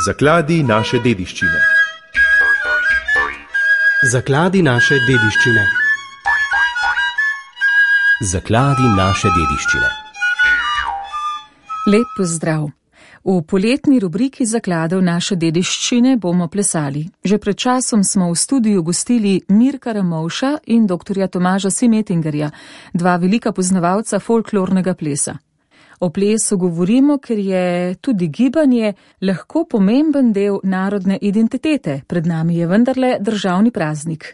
Zakladi naše dediščine. Zakladi naše dediščine. Zakladi naše dediščine. Lep pozdrav. V poletni rubriki Zakladov naše dediščine bomo plesali. Že pred časom smo v studiu gostili Mirka Ramovša in dr. Tomaža Simetingerja, dva velika poznavalca folklornega plesa. O plesu govorimo, ker je tudi gibanje lahko pomemben del narodne identitete. Pred nami je vendarle državni praznik.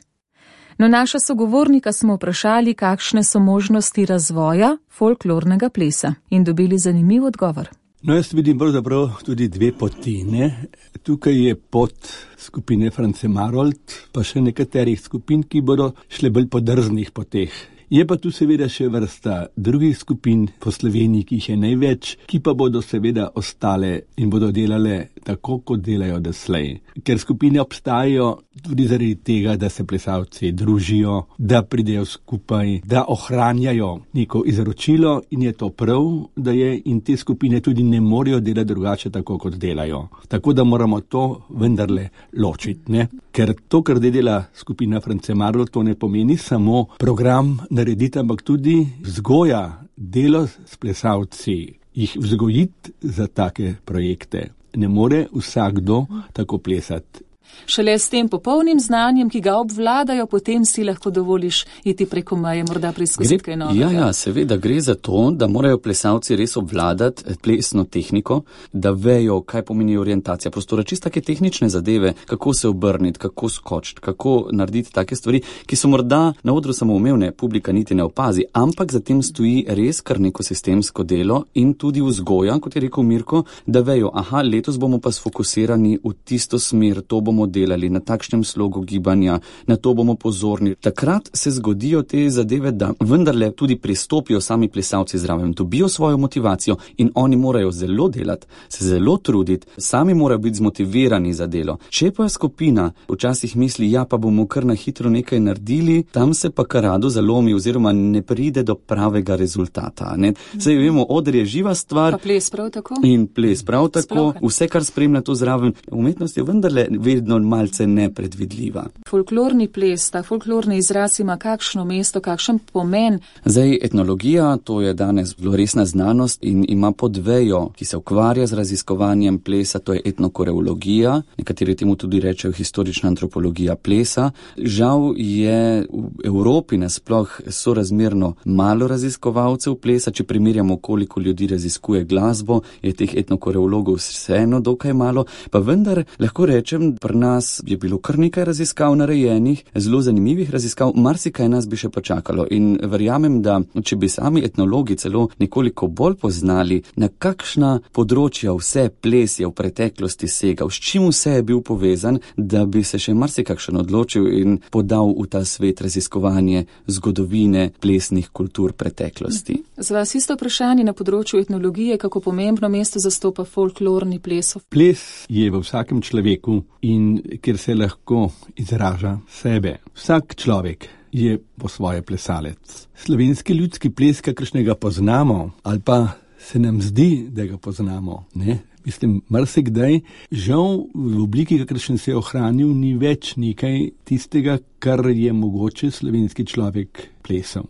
No, naša sogovornika smo vprašali, kakšne so možnosti razvoja folklornega plesa in dobili zanimiv odgovor. No, jaz vidim pravzaprav tudi dve poti, ne? Tukaj je pot skupine France Marold, pa še nekaterih skupin, ki bodo šle bolj po drznih poteh. Je pa tu seveda še vrsta drugih skupin po Sloveniji, ki jih je največ, ki pa bodo seveda ostale in bodo delale tako, kot delajo doslej. Ker skupine obstajajo tudi zaradi tega, da se plesalci družijo, da pridejo skupaj, da ohranjajo neko izročilo in je to prav, da je in te skupine tudi ne morejo delati drugače tako, kot delajo. Tako da moramo to vendarle ločiti, ne? Ker to, kar dela skupina France Marold, to ne pomeni samo program narediti, ampak tudi vzgoja, delo s plesalci, jih vzgojiti za take projekte. Ne more vsakdo tako plesati. Šele s tem popolnim znanjem, ki ga obvladajo, potem si lahko dovoliš iti preko meje, morda preizkusiti kaj novega. Ja, seveda gre za to, da morajo plesalci res obvladati plesno tehniko, da vejo, kaj pomeni orientacija prostora, čisto take tehnične zadeve, kako se obrniti, kako skočiti, kako narediti take stvari, ki so morda na odru samoumevne, publika niti ne opazi, ampak za tem stoji res kar neko sistemsko delo in tudi vzgoja, kot je rekel Mirko, da vejo, letos bomo pa sfokusirani v tisto smer, to bomo delali na takšnem slogu gibanja, na to bomo pozorni. Takrat se zgodijo te zadeve, da vendarle tudi pristopijo sami plesalci zraven, dobijo svojo motivacijo in oni morajo zelo delati, se zelo truditi, sami morajo biti zmotivirani za delo. Če pa skupina včasih misli, pa bomo kar na hitro nekaj naredili, tam se pa kar rado zalomi oziroma ne pride do pravega rezultata. Saj vemo, oder je živa stvar. Pa ples prav tako. In ples prav tako. Vse, kar spremlja to zraven, umetnost je vendarle vedno malce nepredvidljiva. Folklorni ples, ta folklorni izraz ima kakšno mesto, kakšen pomen? Zdaj, etnologija, to je danes zelo resna znanost in ima podvejo, ki se ukvarja z raziskovanjem plesa, to je etnokoreologija, nekateri temu tudi rečejo historična antropologija plesa. Žal je v Evropi nasploh sorazmerno malo raziskovalcev plesa, če primerjamo, koliko ljudi raziskuje glasbo, je teh etnokoreologov vseeno dokaj malo, pa vendar lahko rečem, pri nas je bilo kar nekaj raziskav narejenih, zelo zanimivih raziskav, marsikaj nas bi še počakalo in verjamem, da če bi sami etnologi celo nekoliko bolj poznali, na kakšna področja vse ples je v preteklosti segal, s čim vse je bil povezan, da bi se še marsikakšen odločil in podal v ta svet raziskovanje zgodovine plesnih kultur preteklosti. Za vas isto vprašanje na področju etnologije, kako pomembno mesto zastopa folklorni ples? Ples je v vsakem človeku in kjer se lahko izraža sebe. Vsak človek je po svoje plesalec. Slovenski ljudski ples, kakršnega poznamo, ali pa se nam zdi, da ga poznamo, ne? Mislim, marsikdaj, žal v obliki, kakršen se je ohranil, ni več nekaj tistega, kar je mogoče slovenski človek plesal.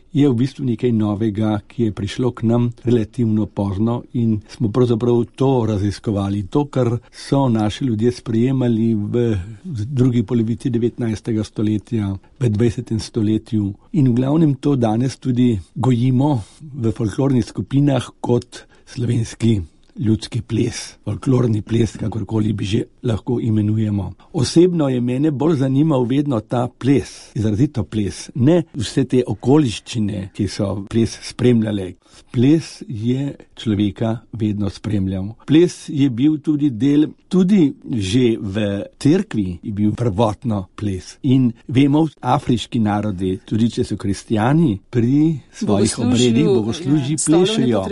Je v bistvu nekaj novega, ki je prišlo k nam relativno pozno in smo pravzaprav to raziskovali. To, kar so naši ljudje sprejemali v drugi polovici 19. stoletja, v 20. stoletju. In v glavnem to danes tudi gojimo v folklornih skupinah kot slovenski ljudski ples, folklorni ples, kakorkoli bi že lahko imenujemo. Osebno je mene bolj zanimal vedno ta ples, izrazito ples, ne vse te okoliščine, ki so ples spremljale. Ples je človeka vedno spremljal. Ples je bil tudi del, tudi že v cerkvi je bil prvotno ples. In vemo, afriški narodi, tudi če so kristjani, pri svojih obredih bogoslužji plešejo.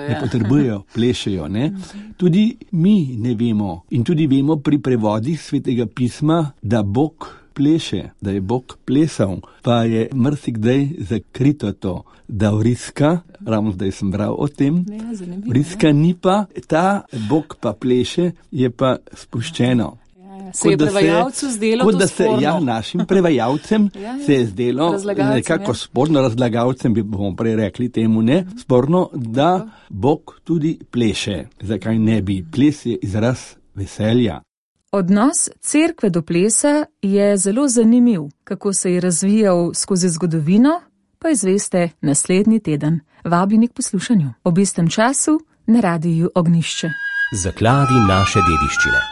Ne potrebujejo, plešejo. Ne? Tudi mi ne vemo in tudi vemo pri prevodih Svetega pisma, da Bog pleše, da je Bog plesal, pa je marsikdaj zakrito to, da vriska, ravno zdaj sem bral o tem, vriska ni pa, ta Bog pa pleše, je pa spuščeno. Se je prevajalcu zdelo to sporno? Ja, našim prevajalcem se je zdelo, nekako sporno, razlagalcem bomo prej rekli temu, ne, sporno, da Bog tudi pleše. Zakaj ne bi? Ples je izraz veselja. Odnos cerkve do plesa je zelo zanimiv. Kako se je razvijal skozi zgodovino, pa izveste naslednji teden. Vabljeni k poslušanju ob istem času na Radiu Ognjišče. Zakladi naše dediščine.